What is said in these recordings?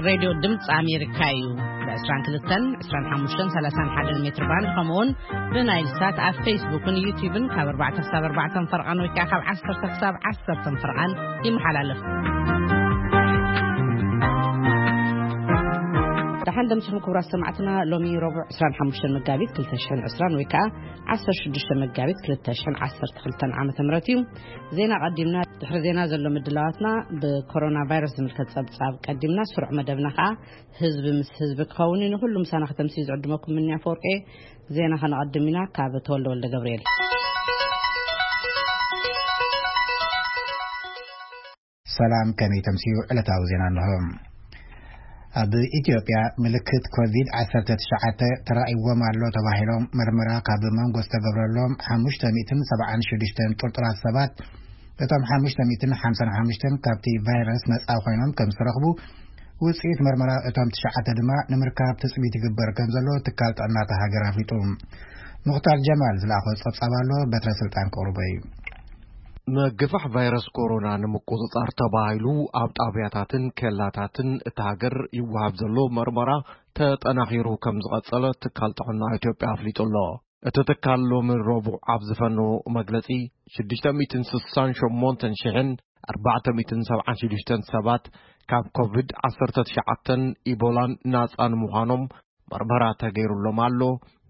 ሬድዮ ድምፂ ኣሜሪካ እዩ። ብ22፣ 25፣ 31 ሜትር ባንድ፣ ከምኡውን ብናይል ሳት ኣብ ፌስቡክን ዩቲዩብን ካብ ኣርባዕተ ክሳብ ኣርባዕተ ፈርቓን ወይ ከዓ ካብ ዓሰርተ ክሳብ ዓሰርተ ፈርቓን ይመሓላለፍ። ደሓን ደምስኹም ክቡራት ሰማዕትና። ሎሚ ረቡዕ 25 መጋቢት ክልተ ሽሕን ዕስራን ወይ ከዓ ዓሰርተ ሽዱሽተ መጋቢት ክልተ ሽሕን ዓሰርተ ክልተን ዓመተ ምህረት እዩ። ዜና ቀዲምና። ድሕሪ ዜና ዘሎ ምድላዋትና፣ ብኮሮና ቫይረስ ዝምልከት ጸብጻብ ቀዲምና ስሩዕ መደብና ከዓ ህዝቢ ምስ ህዝቢ ክኸውን እዩ። ንኹሉ ምሳና ከተምስዩ ዝዕድመኩም ምንያ ፈወርቄ። ዜና ከነቐድም ኢና ካብ ተወልደ ወልደ ገብርኤል። ሰላም፣ ከመይ ተምስዩ? ዕለታዊ ዜና እንሆ። ኣብ ኢትዮጵያ ምልክት ኮቪድ ዓሰርተ ትሽዓተ ተራእይዎም ኣሎ ተባሂሎም መርመራ ካብ መንጎ ዝተገብረሎም ሓሙሽተ ሚእትን ሰብዓን ሽዱሽተን ጥርጡራት ሰባት፣ እቶም ሓሙሽተ ሚእትን ሓምሳን ሓሙሽተን ካብቲ ቫይረስ ነጻ ኮይኖም ከም ዝተረኽቡ ውጽኢት መርመራ እቶም ትሽዓተ ድማ ንምርካብ ትጽቢት ይግበር ከም ዘሎ ትካል ጥዕና እታ ሃገር ኣፍሊጡ። ሙኽታር ጀማል ዝለኣኾ ጸብጻብ ኣሎ፣ በትረ ስልጣን ክቕርቦ እዩ። ምግፋሕ ቫይረስ ኮሮና ንምቁጽጻር ተባሂሉ ኣብ ጣብያታትን ኬላታትን እታ ሃገር ይወሃብ ዘሎ መርመራ ተጠናኺሩ ከም ዝቐጸለ ትካል ጥዕና ኢትዮጵያ ኣፍሊጡ ኣሎ። እቲ ትካል ሎሚ ረቡዕ ኣብ ዝፈነዎ መግለጺ፣ ሽዱሽተ ሚእትን ስሳን ሸሞንተን ሽሕን ኣርባዕተ ሚእትን ሰብዓን ሽዱሽተን ሰባት ካብ ኮቪድ ዓሰርተ ትሽዓተን ኢቦላን ናጻ ንምዃኖም መርመራ ተገይሩሎም ኣሎ።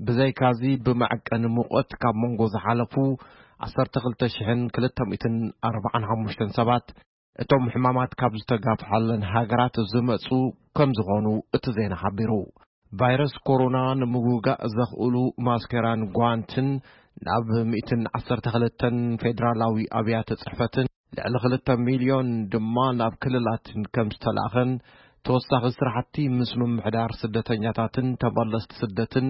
ብዘይካዚ፣ ብመዐቀኒ ሙቐት ካብ መንጎ ዝሓለፉ ዓሰርተ ክልተ ሽሕን ክልተ ሚእትን ኣርባዓን ሓሙሽተን ሰባት፣ እቶም ሕማማት ካብ ዝተጋፍሓለን ሃገራት ዝመጹ ከም ዝኾኑ እቲ ዜና ሓቢሩ። ቫይረስ ኮሮና ንምውጋእ ዘኽእሉ ማስኬራን ጓንትን ናብ ሚእትን ዓሰርተ ክልተን ፌደራላዊ ኣብያተ ጽሕፈትን ልዕሊ ክልተ ሚልዮን ድማ ናብ ክልላትን ከም ዝተላእኸን፣ ተወሳኺ ስራሕቲ ምስ ምምሕዳር ስደተኛታትን ተመለስቲ ስደትን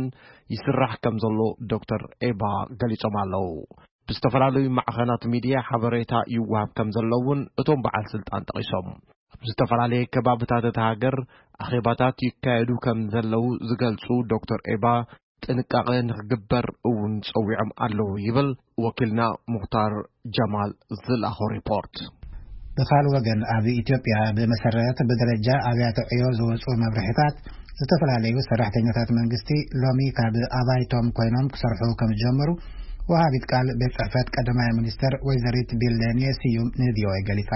ይስራሕ ከም ዘሎ ዶክተር ኤባ ገሊጾም ኣለዉ። ብዝተፈላለዩ ማዕኸናት ሚድያ ሓበሬታ ይወሃብ ከም ዘሎ እውን እቶም በዓል ስልጣን ጠቒሶም። ኣብ ዝተፈላለየ ከባብታት እታ ሃገር ኣኼባታት ይካየዱ ከም ዘለዉ ዝገልጹ ዶክተር ኤባ፣ ጥንቃቐ ንክግበር እውን ጸዊዖም ኣለዉ ይብል ወኪልና ሙኽታር ጀማል ዝለኣኾ ሪፖርት። ብኻልእ ወገን፣ ኣብ ኢትዮጵያ ብመሰረት ብደረጃ ኣብያተ ዕዮ ዝወጹ መብርሒታት፣ ዝተፈላለዩ ሰራሕተኛታት መንግስቲ ሎሚ ካብ ኣባይቶም ኮይኖም ክሰርሑ ከም ዝጀመሩ ወሃቢት ቃል ቤት ጽሕፈት ቀዳማይ ሚኒስተር ወይዘሪት ቢለኔ ስዩም ንቪኦኤ ገሊጻ።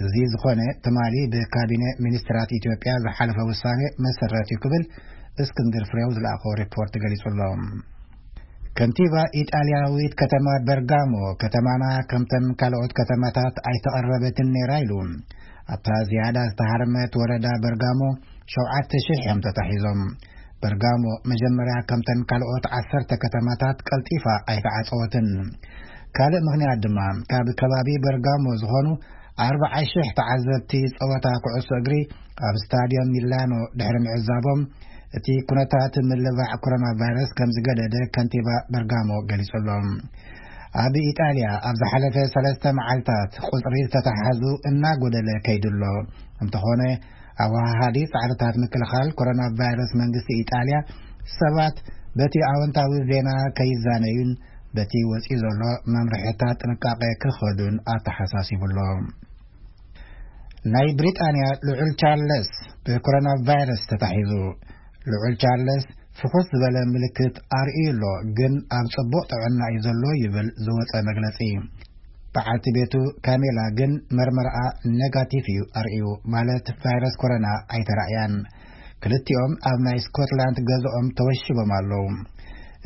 እዚ ዝኾነ ትማሊ ብካቢነ ሚኒስትራት ኢትዮጵያ ዝሓለፈ ውሳኔ መሰረት እዩ ክብል እስክንድር ፍሬው ዝለኣኾ ሪፖርት ገሊጹ ኣሎ። ከንቲባ ኢጣልያዊት ከተማ በርጋሞ፣ ከተማና ከምተን ካልኦት ከተማታት ኣይተቐረበትን ነይራ ኢሉ። ኣብታ ዝያዳ ዝተሃርመት ወረዳ በርጋሞ ሸውዓተ ሽሕ እዮም ተታሒዞም። በርጋሞ መጀመርያ ከምተን ካልኦት ዓሰርተ ከተማታት ቀልጢፋ ኣይተዓጸወትን። ካልእ ምኽንያት ድማ፣ ካብ ከባቢ በርጋሞ ዝኾኑ ኣርብዓ ሽሕ ተዓዘብቲ ጸወታ ኩዕሶ እግሪ ኣብ ስታድዮም ሚላኖ ድሕሪ ምዕዛቦም፣ እቲ ኩነታት ምልባዕ ኮሮና ቫይረስ ከም ዝገደደ ከንቲባ በርጋሞ ገሊጹ ኣሎ። ኣብ ኢጣልያ ኣብ ዝሓለፈ ሰለስተ መዓልታት ቁጽሪ ዝተተሓዙ እናጎደለ ከይዱ ኣሎ። እንተኾነ፣ ኣወሃሃዲ ጻዕርታት ምክልኻል ኮሮና ቫይረስ መንግስቲ ኢጣልያ ሰባት በቲ ኣወንታዊ ዜና ከይዛነዩን በቲ ወጺኡ ዘሎ መምርሒታት ጥንቃቄ ክኸዱን ኣተሓሳሲቡ ኣሎ። ናይ ብሪጣንያ ልዑል ቻርለስ ብኮሮና ቫይረስ ተታሒዙ። ልዑል ቻርለስ ፍኹስ ዝበለ ምልክት ኣርእዩ ኣሎ፣ ግን ኣብ ጽቡቕ ጥዕና እዩ ዘሎ ይብል ዝወጸ መግለጺ። በዓልቲ ቤቱ ካሜላ ግን መርመርኣ ኔጋቲቭ እዩ ኣርእዩ፣ ማለት ቫይረስ ኮሮና ኣይተራእያን። ክልቲኦም ኣብ ናይ ስኮትላንድ ገዝኦም ተወሺቦም ኣለዉ።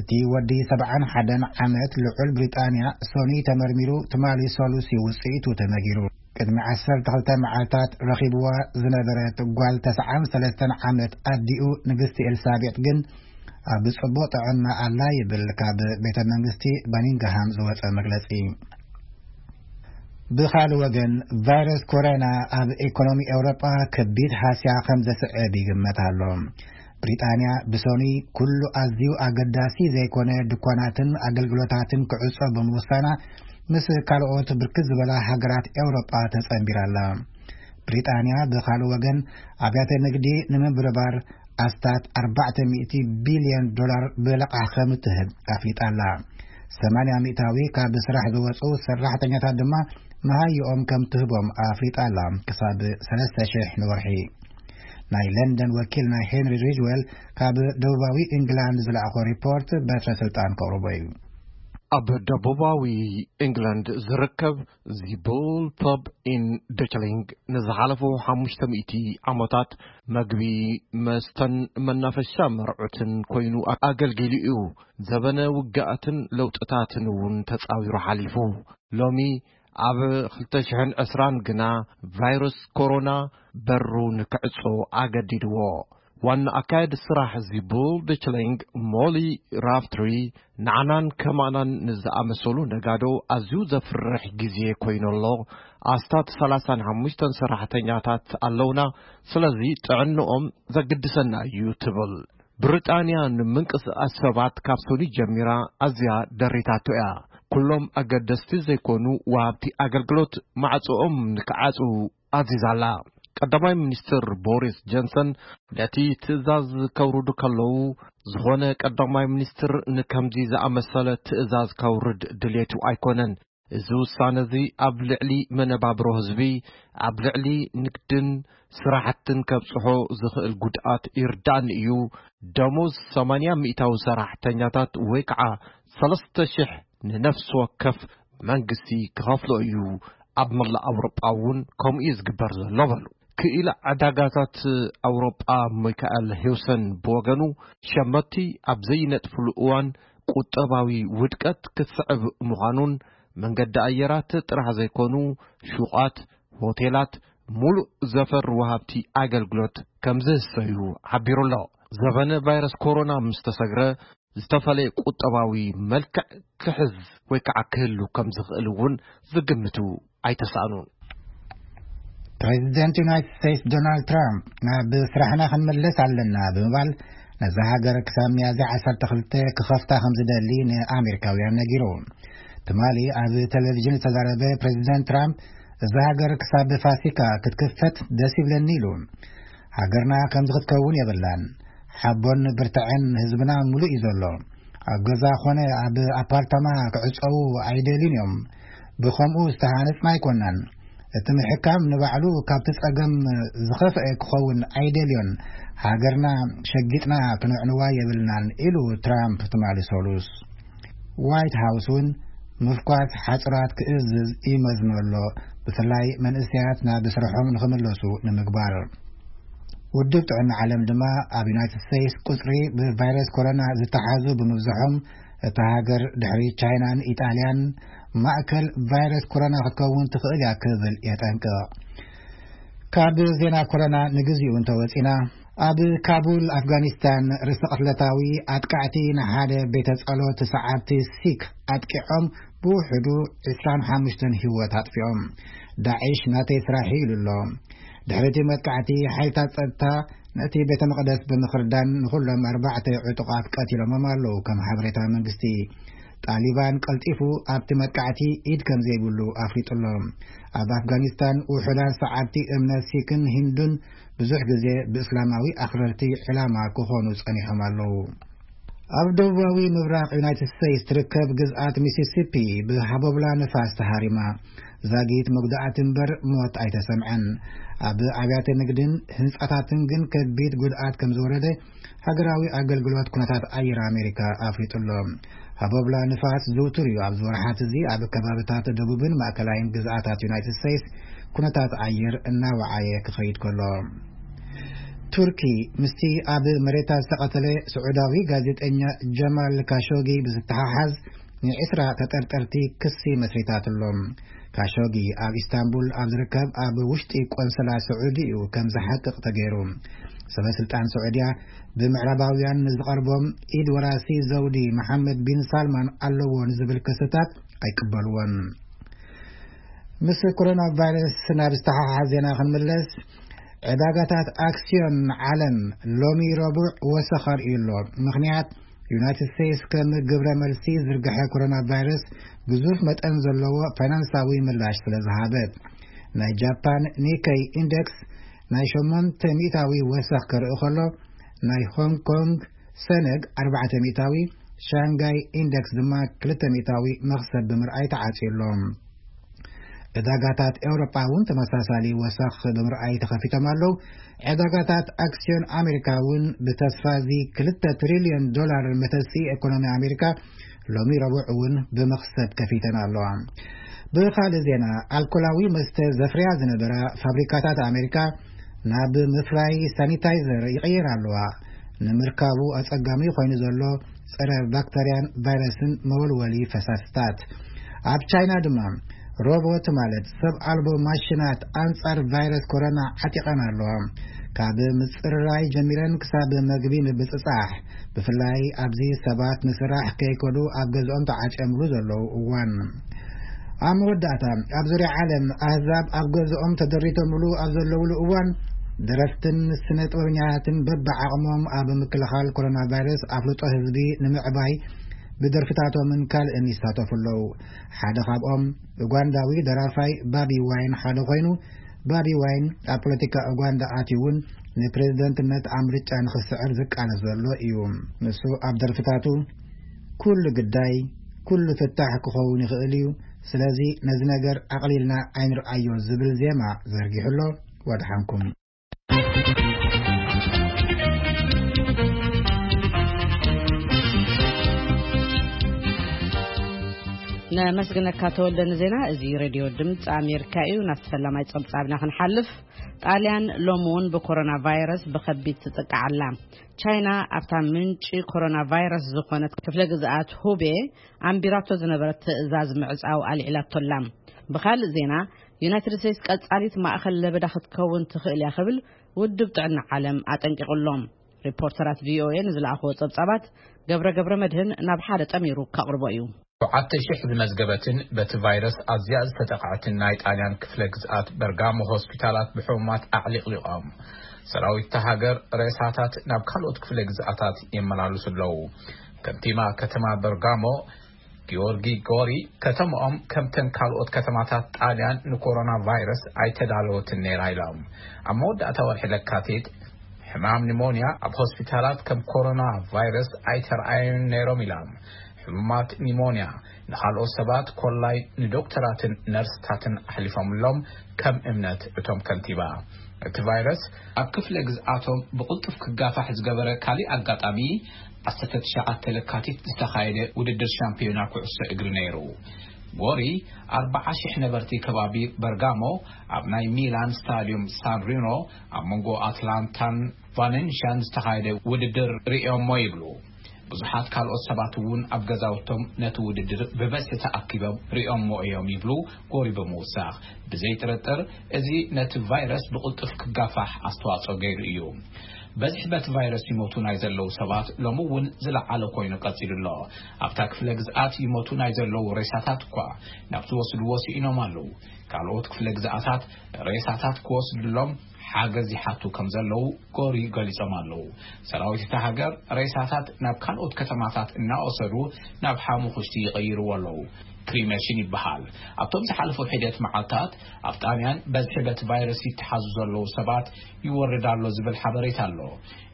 እቲ ወዲ ሰብዓን ሓደን ዓመት ልዑል ብሪጣንያ ሶኒ ተመርሚሩ ትማሊ ሰሉሲ ውጽኢቱ ተነጊሩ። ቅድሚ ዓሰርተ ክልተ መዓልታት ረኺብዋ ዝነበረት ጓል ተስዓን ሰለስተን ዓመት ኣዲኡ ንግስቲ ኤልሳቤጥ ግን ኣብ ጽቡቕ ጥዕና ኣላ ይብል ካብ ቤተ መንግስቲ በኒንግሃም ዝወጸ መግለጺ። ብኻልእ ወገን፣ ቫይረስ ኮሮና ኣብ ኢኮኖሚ ኤውሮጳ ከቢድ ሃስያ ከም ዘስዕብ ይግመት ኣሎ። ብሪጣንያ ብሶኒ ኩሉ ኣዝዩ ኣገዳሲ ዘይኮነ ድኳናትን ኣገልግሎታትን ክዕጾ ብምውሳና፣ ምስ ካልኦት ብርክት ዝበላ ሃገራት ኤውሮጳ ተጸንቢራ ኣላ። ብሪጣንያ ብኻልእ ወገን፣ ኣብያተ ንግዲ ንምብርባር ኣስታት ኣርባዕተ ሚእቲ ቢልዮን ዶላር ብለቓሕ ከም እትህብ ኣፍሊጣ ኣላ። ሰማንያ ሚእታዊ ካብ ስራሕ ዝወጹ ሰራሕተኛታት ድማ መሃይኦም ከም ትህቦም ኣፍሊጣ ኣላ፣ ክሳብ ሰለስተ ሽሕ ንወርሒ። ናይ ለንደን ወኪል ናይ ሄንሪ ሪጅዌል ካብ ደቡባዊ ኢንግላንድ ዝለኣኾ ሪፖርት በትረ ስልጣን ከቕርቦ እዩ። ኣብ ደቡባዊ ኢንግላንድ ዝርከብ ዚቡል ፐብ ኢን ደችሊንግ ንዝሓለፉ ሓሙሽተ ሚእቲ ዓመታት መግቢ፣ መስተን መናፈሻ መርዑትን ኮይኑ ኣገልጊሉ እዩ። ዘበነ ውግኣትን ለውጥታትን እውን ተጻዊሩ ሓሊፉ። ሎሚ ኣብ ክልተ ሽሕን ዕስራን ግና ቫይረስ ኮሮና በሩ ንክዕጾ ኣገዲድዎ። ዋና ኣካየዲ ስራሕ ዚቡል ደችሊንግ ሞሊ ራፍትሪ ንዓናን ከማናን ንዝኣመሰሉ ነጋዶ ኣዝዩ ዘፍርሕ ግዜ ኮይኑ ኣሎ። ኣስታት ሰላሳን ሓሙሽተን ሰራሕተኛታት ኣለውና፣ ስለዚ ጥዕንኦም ዘግድሰና እዩ ትብል። ብሪጣንያ ንምንቅስቃስ ሰባት ካብ ሰኑይ ጀሚራ ኣዝያ ደሪታቶ እያ። ኩሎም ኣገደስቲ ዘይኮኑ ወሃብቲ ኣገልግሎት ማዕጾኦም ንክዓጹ ኣዚዛ ኣላ። ቀዳማይ ሚኒስትር ቦሪስ ጆንሰን ነቲ ትእዛዝ ከውርዱ ከለዉ፣ ዝኾነ ቀዳማይ ሚኒስትር ንከምዚ ዝኣመሰለ ትእዛዝ ከውርድ ድሌቱ ኣይኮነን። እዚ ውሳነ እዚ ኣብ ልዕሊ መነባብሮ ህዝቢ፣ ኣብ ልዕሊ ንግድን ስራሕትን ከብጽሖ ዝኽእል ጉድኣት ይርዳእኒ እዩ። ደሞዝ ሰማንያ ሚእታዊ ሰራሕተኛታት ወይ ከዓ ሰለስተ ሽሕ ንነፍሲ ወከፍ መንግስቲ ክኸፍሎ እዩ። ኣብ መላእ ኣውሮጳ እውን ከምኡ እዩ ዝግበር ዘሎ በሉ። ክኢላ ዕዳጋታት ኣውሮጳ ሚካኤል ሂውሰን ብወገኑ፣ ሸመቲ ኣብ ዘይነጥፍሉ እዋን ቁጠባዊ ውድቀት ክስዕብ ምዃኑን፣ መንገዲ ኣየራት ጥራሕ ዘይኮኑ ሹቓት፣ ሆቴላት፣ ሙሉእ ዘፈር ወሃብቲ ኣገልግሎት ከም ዝህሰዩ ሓቢሩ ኣሎ። ዘበነ ቫይረስ ኮሮና ምስ ተሰግረ፣ ዝተፈለየ ቁጠባዊ መልክዕ ክሕዝ ወይ ከዓ ክህሉ ከም ዝኽእል እውን ዝግምቱ ኣይተሳእኑን። ፕሬዚደንት ዩናይትድ ስቴትስ ዶናልድ ትራምፕ ናብ ስራሕና ክንምለስ ኣለና ብምባል፣ ነዛ ሃገር ክሳብ ሚያዝያ ዓሰርተ ክልተ ክኸፍታ ከም ዝደሊ ንኣሜሪካውያን ነጊሩ። ትማሊ ኣብ ቴሌቪዥን ዝተዛረበ ፕሬዚደንት ትራምፕ፣ እዛ ሃገር ክሳብ ፋሲካ ክትክፈት ደስ ይብለኒ ኢሉ። ሃገርና ከምዚ ክትከውን የብላን። ሓቦን ብርትዐን ህዝብና ሙሉእ እዩ ዘሎ። ኣብ ገዛ ኾነ ኣብ ኣፓርታማ ክዕጸዉ ኣይደልዩን እዮም። ብኸምኡ ዝተሃነጽና ኣይኮናን። እቲ ምሕካም ንባዕሉ ካብቲ ጸገም ዝኸፍአ ክኸውን ኣይደልዮን። ሃገርና ሸጊጥና ክነዕንዋ የብልናን ኢሉ ትራምፕ ትማሊ ሰሉስ። ዋይት ሃውስ እውን ምፍኳስ ሓጽራት ክእዝዝ ይመዝኖ ኣሎ፣ ብፍላይ መንእሰያት ናብ ስርሖም ንኽምለሱ ንምግባር። ውድብ ጥዕና ዓለም ድማ ኣብ ዩናይትድ ስቴትስ ቁጽሪ ብቫይረስ ኮሮና ዝተሓዙ ብምብዝሖም፣ እታ ሃገር ድሕሪ ቻይናን ኢጣልያን ማእከል ቫይረስ ኮሮና ክትከውን ትኽእል እያ ክብል የጠንቅቕ። ካብ ዜና ኮሮና ንግዚኡ እንተወጺና፣ ኣብ ካቡል ኣፍጋኒስታን ርእሰ ቅትለታዊ ኣጥቃዕቲ ንሓደ ቤተ ጸሎት ሰዓብቲ ሲክ ኣጥቂዖም ብውሕዱ ዕስራን ሓሙሽተን ህይወት ኣጥፊኦም። ዳዒሽ ናተይ ስራሕ ኢሉ ኣሎ። ድሕሪ እቲ መጥቃዕቲ ሓይልታት ጸጥታ ነቲ ቤተ መቕደስ ብምኽርዳን ንኹሎም ኣርባዕተ ዕጡቓት ቀቲሎሞም ኣለዉ፣ ከም ሓበሬታ መንግስቲ። ጣሊባን ቀልጢፉ ኣብቲ መጥቃዕቲ ኢድ ከም ዘይብሉ ኣፍሊጡ ኣሎ። ኣብ ኣፍጋኒስታን ውሑዳት ሰዓብቲ እምነት ሲክን ሂንዱን ብዙሕ ግዜ ብእስላማዊ ኣኽረርቲ ዕላማ ክኾኑ ጸኒሖም ኣለዉ። ኣብ ደቡባዊ ምብራቕ ዩናይትድ ስቴትስ ትርከብ ግዝኣት ሚሲሲፒ ብሃቦብላ ንፋስ ተሃሪማ። ዛጊት መጉዳእቲ እምበር ሞት ኣይተሰምዐን። ኣብ ኣብያተ ንግድን ህንጻታትን ግን ከቢድ ጉድኣት ከም ዝወረደ ሃገራዊ ኣገልግሎት ኩነታት ኣየር ኣሜሪካ ኣፍሊጡ ኣሎ። ሃቦብላ ንፋስ ዝውቱር እዩ። ኣብዚ ወርሓት እዚ ኣብ ከባብታት ደቡብን ማእከላይን ግዝኣታት ዩናይትድ ስቴትስ ኩነታት ኣየር እናወዓየ ክኸይድ ከሎ። ቱርኪ ምስቲ ኣብ መሬታ ዝተቐተለ ስዑዳዊ ጋዜጠኛ ጀማል ካሾጊ ብዝተሓሓዝ ንዕስራ ተጠርጠርቲ ክሲ መስሪታትሎም። ካሾጊ ኣብ ኢስታንቡል ኣብ ዝርከብ ኣብ ውሽጢ ቆንስላ ስዑዲ እዩ ከም ዝሓቅቕ ተገይሩ። ሰበ ስልጣን ስዑድያ ብምዕራባውያን ንዝቐርቦም ኢድ ወራሲ ዘውዲ መሓመድ ቢን ሳልማን ኣለዎ ንዝብል ክስታት ኣይቅበልዎን። ምስ ኮሮና ቫይረስ ናብ ዝተሓሓዝ ዜና ክንምለስ፣ ዕዳጋታት ኣክስዮን ዓለም ሎሚ ረቡዕ ወሰኽ ኣርእዩ ኣሎ። ምኽንያት፣ ዩናይትድ ስቴትስ ከም ግብረ መልሲ ዝርግሐ ኮሮና ቫይረስ ግዙፍ መጠን ዘለዎ ፋይናንሳዊ ምላሽ ስለ ዝሃበት። ናይ ጃፓን ኒከይ ኢንደክስ ናይ ሸሞንተ ሚእታዊ ወሰኽ ክርኢ ከሎ፣ ናይ ሆንግ ኮንግ ሰነግ ኣርባዕተ ሚእታዊ፣ ሻንጋይ ኢንደክስ ድማ ክልተ ሚእታዊ መኽሰብ ብምርኣይ ተዓጽዩ ኣሎ። ዕዳጋታት ኤውሮጳ እውን ተመሳሳሊ ወሰኽ ብምርኣይ ተኸፊቶም ኣለዉ። ዕዳጋታት ኣክስዮን ኣሜሪካ እውን ብተስፋ እዚ ክልተ ትሪልዮን ዶላር መተሲ ኢኮኖሚ ኣሜሪካ ሎሚ ረቡዕ እውን ብመኽሰብ ከፊተን ኣለዋ። ብኻልእ ዜና፣ ኣልኮላዊ መስተ ዘፍርያ ዝነበራ ፋብሪካታት ኣሜሪካ ናብ ምፍራይ ሳኒታይዘር ይቕየር ኣለዋ። ንምርካቡ ኣጸጋሚ ኮይኑ ዘሎ ጸረ ባክተርያን ቫይረስን መወልወሊ ፈሳስታት። ኣብ ቻይና ድማ ሮቦት፣ ማለት ሰብ ኣልቦ ማሽናት፣ ኣንጻር ቫይረስ ኮሮና ዓጢቐን ኣለዋ። ካብ ምጽርራይ ጀሚረን ክሳብ መግቢ ምብጽጻሕ፣ ብፍላይ ኣብዚ ሰባት ንስራሕ ከይከዱ ኣብ ገዝኦም ተዓጨምሉ ዘለዉ እዋን። ኣብ መወዳእታ፣ ኣብ ዙርያ ዓለም ኣህዛብ ኣብ ገዝኦም ተደሪቶምሉ ኣብ ዘለውሉ እዋን፣ ደረፍትን ስነ ጥበበኛታትን በብዓቕሞም ኣብ ምክልኻል ኮሮና ቫይረስ ኣፍልጦ ህዝቢ ንምዕባይ ብደርፍታቶምን ካልእን ይሳተፉ ኣለዉ። ሓደ ካብኦም ኡጋንዳዊ ደራፋይ ባቢ ዋይን ሓደ ኮይኑ፣ ባቢ ዋይን ኣብ ፖለቲካ ኡጋንዳ ኣትዩ እውን ንፕሬዝደንትነት ኣብ ምርጫ ንኽስዕር ዝቃለስ ዘሎ እዩ። ንሱ ኣብ ደርፍታቱ "ኩሉ ግዳይ፣ ኩሉ ፍታሕ ክኸውን ይኽእል እዩ፣ ስለዚ ነዚ ነገር ኣቕሊልና ኣይንርኣዮ" ዝብል ዜማ ዘርጊሑ ኣሎ። ወድሓንኩም። ነመስግነካ ተወልደ ንዜና። እዚ ሬድዮ ድምፂ ኣሜሪካ እዩ። ናብቲ ፈላማይ ፀብፃብና ክንሓልፍ፣ ጣልያን ሎሚ እውን ብኮሮና ቫይረስ ብኸቢድ ትጥቃዕ ኣላ። ቻይና ኣብታ ምንጪ ኮሮና ቫይረስ ዝኾነት ክፍለ ግዝኣት ሁቤ ኣንቢራቶ ዝነበረት ትእዛዝ ምዕፃው ኣልዒላቶ ኣላ። ብኻልእ ዜና፣ ዩናይትድ ስቴትስ ቀጻሊት ማእኸል ለበዳ ክትከውን ትኽእል እያ ክብል ውድብ ጥዕና ዓለም ኣጠንቂቑ ኣሎ። ሪፖርተራት ቪኦኤ ንዝለኣኽዎ ጸብጻባት ገብረ ገብረ መድህን ናብ ሓደ ጠሚሩ ከቕርቦ እዩ። ሸውዓተ ሺሕ ዝመዝገበትን በቲ ቫይረስ ኣዝያ ዝተጠቕዐትን ናይ ጣልያን ክፍለ ግዝኣት በርጋሞ ሆስፒታላት ብሕሙማት ኣዕሊቕሊቖም። ሰራዊት እታ ሃገር ሬሳታት ናብ ካልኦት ክፍለ ግዝኣታት የመላልሱ ኣለዉ። ከንቲባ ከተማ በርጋሞ ጊዮርጊ ጎሪ፣ ከተማኦም ከምተን ካልኦት ከተማታት ጣልያን ንኮሮና ቫይረስ ኣይተዳለወትን ነይራ ኢሎም። ኣብ መወዳእታ ወርሒ ለካቲት ሕማም ኒሞንያ ኣብ ሆስፒታላት ከም ኮሮና ቫይረስ ኣይተረኣዩን ነይሮም ኢሎም። ሕሙማት ኒሞንያ ንኻልኦት ሰባት ኮላይ ንዶክተራትን ነርስታትን ኣሕሊፎምሎም፣ ከም እምነት እቶም ከንቲባ። እቲ ቫይረስ ኣብ ክፍለ ግዝኣቶም ብቕልጡፍ ክጋፋሕ ዝገበረ ካሊእ ኣጋጣሚ፣ ዓሰርተ ትሽዓተ ለካቲት ዝተኻየደ ውድድር ሻምፒዮና ኩዕሶ እግሪ ነይሩ። ጎሪ፣ ኣርባዓ ሺሕ ነበርቲ ከባቢ በርጋሞ ኣብ ናይ ሚላን ስታድዩም ሳን ሪኖ ኣብ መንጎ ኣትላንታን ቫለንሽያን ዝተኻየደ ውድድር ርእዮሞ ይብሉ። ብዙሓት ካልኦት ሰባት እውን ኣብ ገዛውቶም ነቲ ውድድር ብበዝሒ ተኣኪቦም ርእዮሞ እዮም ይብሉ ጎሪ ብምውሳኽ። ብዘይ ጥርጥር፣ እዚ ነቲ ቫይረስ ብቕልጡፍ ክጋፋሕ ኣስተዋጽኦ ገይሩ እዩ። በዝሒ በቲ ቫይረስ ይሞቱ ናይ ዘለዉ ሰባት ሎሚ እውን ዝለዓለ ኮይኑ ቀጺሉ ኣሎ። ኣብታ ክፍለ ግዝኣት ይሞቱ ናይ ዘለዉ ሬሳታት እኳ ናብ ዝወስድዎ ስኢኖም ኣለዉ። ካልኦት ክፍለ ግዝኣታት ሬሳታት ክወስድሎም ሓገዝ ይሓቱ ከም ዘለዉ ጎሪ ገሊጾም ኣለዉ። ሰራዊት እታ ሃገር ሬሳታት ናብ ካልኦት ከተማታት እናወሰዱ ናብ ሓሙኽሽቲ ይቕይርዎ ኣለዉ። ክሪሜሽን ይበሃል። ኣብቶም ዝሓለፉ ሒደት መዓልታት ኣብ ጣልያን በዝሒ በቲ ቫይረስ ይተሓዙ ዘለዉ ሰባት ይወርድ ኣሎ ዝብል ሓበሬታ ኣሎ።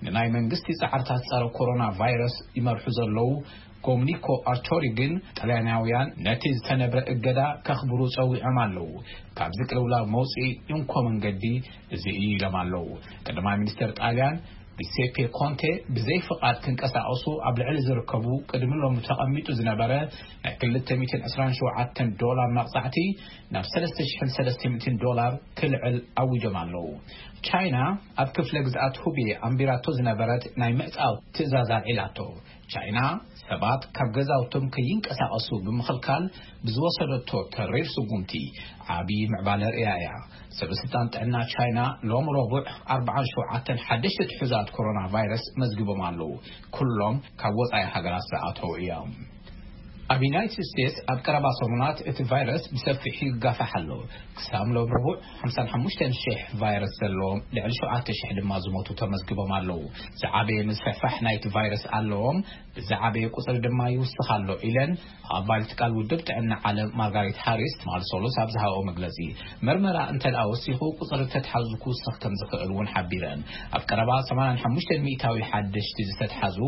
ንናይ መንግስቲ ጻዕርታት ጸረ ኮሮና ቫይረስ ይመርሑ ዘለዉ ጎምኒኮ ኣርቶሪ ግን፣ ጣልያናውያን ነቲ ዝተነብረ እገዳ ከኽብሩ ጸዊዖም ኣለዉ። ካብዚ ቅልውላው መውጽኢ እንኮ መንገዲ እዚ እዩ ኢሎም ኣለዉ። ቀዳማይ ሚኒስተር ጣልያን ጊሴፔ ኮንቴ፣ ብዘይ ፍቓድ ክንቀሳቐሱ ኣብ ልዕሊ ዝርከቡ ቅድሚ ሎሚ ተቐሚጡ ዝነበረ ናይ ክልተ ሚእትን ዕስራን ሸውዓተን ዶላር መቕጻዕቲ ናብ ሰለስተ ሽሕን ሰለስተ ሚእትን ዶላር ክልዕል ኣዊጆም ኣለዉ። ቻይና ኣብ ክፍለ ግዝኣት ሁቤ ኣንቢራቶ ዝነበረት ናይ ምዕጻው ትእዛዝ ኣልዒላቶ። ቻይና ሰባት ካብ ገዛውቶም ከይንቀሳቐሱ ብምኽልካል ብዝወሰደቶ ተሪር ስጉምቲ ዓቢ ምዕባለ ርእያ እያ። ሰበስልጣን ጥዕና ቻይና ሎም ረቡዕ ኣርባዓን ሸውዓተን ሓደሽቲ ትሑዛት ኮሮና ቫይረስ መዝግቦም ኣለዉ። ኩሎም ካብ ወጻኢ ሃገራት ዝኣተዉ እዮም። ኣብ ዩናይትድ ስቴትስ ኣብ ቀረባ ሰሙናት እቲ ቫይረስ ብሰፊሑ ይጋፋሕ ኣሎ። ክሳብ ሎም ረቡዕ ሓምሳን ሓሙሽተን ሽሕ ቫይረስ ዘለዎም፣ ልዕሊ ሸውዓተ ሽሕ ድማ ዝሞቱ ተመዝግቦም ኣለዉ። ዝዓበየ ምስፍሕፋሕ ናይቲ ቫይረስ ኣለዎም፣ ብዝዓበየ ቁጽሪ ድማ ይውስኽ ኣሎ ኢለን ኣባል ትካል ውድብ ጥዕና ዓለም ማርጋሬት ሃሪስ ትማሊ ሰሉስ ኣብ ዝሃበኦ መግለጺ። መርመራ እንተ ደኣ ወሲኹ፣ ቁጽሪ ተትሓዙ ክውስኽ ከም ዝኽእል እውን ሓቢረን። ኣብ ቀረባ ሰማንያን ሓሙሽተን ሚእታዊ ሓደሽቲ ዝተትሓዙ